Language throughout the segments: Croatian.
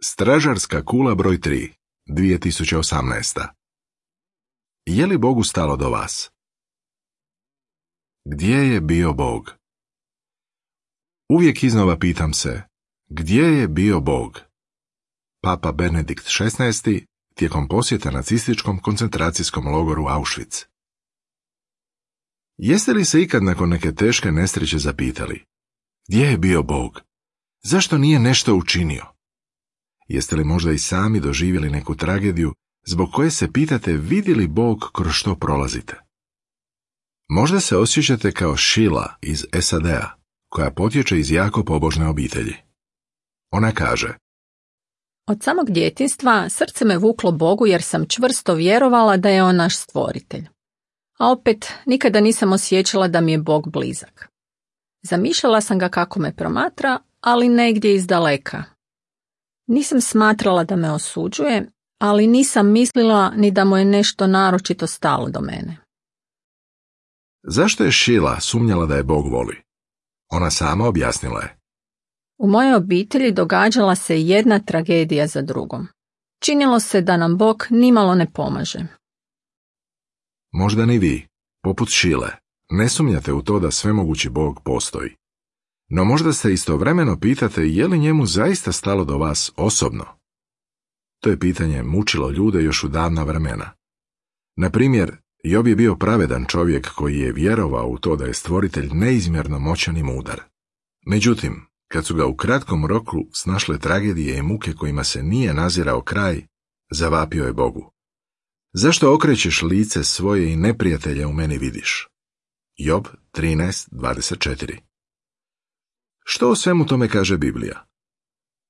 Stražarska kula broj 3, 2018. Je li Bogu stalo do vas? Gdje je bio Bog? Uvijek iznova pitam se, gdje je bio Bog? Papa Benedikt XVI tijekom posjeta nacističkom koncentracijskom logoru Auschwitz. Jeste li se ikad nakon neke teške nesreće zapitali, gdje je bio Bog? Zašto nije nešto učinio? Jeste li možda i sami doživjeli neku tragediju zbog koje se pitate vidi li Bog kroz što prolazite? Možda se osjećate kao Sheila iz SAD-a, koja potječe iz jako pobožne obitelji. Ona kaže: Od samog djetinjstva srce me vuklo Bogu jer sam čvrsto vjerovala da je on naš stvoritelj. A opet nikada nisam osjećala da mi je Bog blizak. Zamišljala sam ga kako me promatra, ali negdje iz daleka. Nisam smatrala da me osuđuje, ali nisam mislila ni da mu je nešto naročito stalo do mene. Zašto je Sheila sumnjala da je Bog voli? Ona sama objasnila je: U mojoj obitelji događala se jedna tragedija za drugom. Činilo se da nam Bog nimalo ne pomaže. Možda ni vi, poput Sheile, ne sumnjate u to da svemogući Bog postoji. No možda se istovremeno pitate je li njemu zaista stalo do vas osobno? To je pitanje mučilo ljude još u davna vremena. Na primjer, Job je bio pravedan čovjek koji je vjerovao u to da je stvoritelj neizmjerno moćan i mudar. Međutim, kad su ga u kratkom roku snašle tragedije i muke kojima se nije nazirao kraj, zavapio je Bogu: Zašto okrećeš lice svoje i neprijatelje u meni vidiš? Job 13:24. Što o svemu tome kaže Biblija?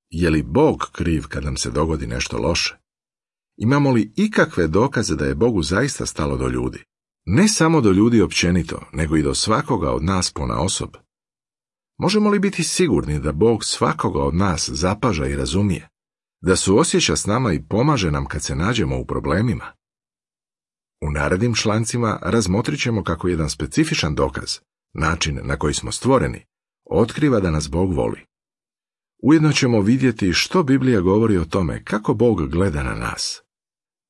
Je li Bog kriv kad nam se dogodi nešto loše? Imamo li ikakve dokaze da je Bogu zaista stalo do ljudi? Ne samo do ljudi općenito, nego i do svakoga od nas ponaosob. Možemo li biti sigurni da Bog svakoga od nas zapaža i razumije? Da suosjeća s nama i pomaže nam kad se nađemo u problemima? U narednim člancima razmotrit ćemo kako jedan specifičan dokaz, način na koji smo stvoreni, otkriva da nas Bog voli. Ujedno ćemo vidjeti što Biblija govori o tome kako Bog gleda na nas.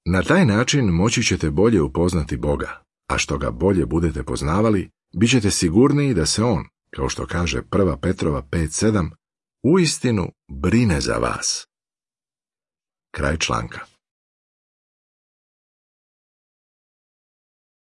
Na taj način moći ćete bolje upoznati Boga, a što ga bolje budete poznavali, bit ćete sigurniji da se on, kao što kaže 1. Petrova 5:7, uistinu brine za vas. Kraj članka.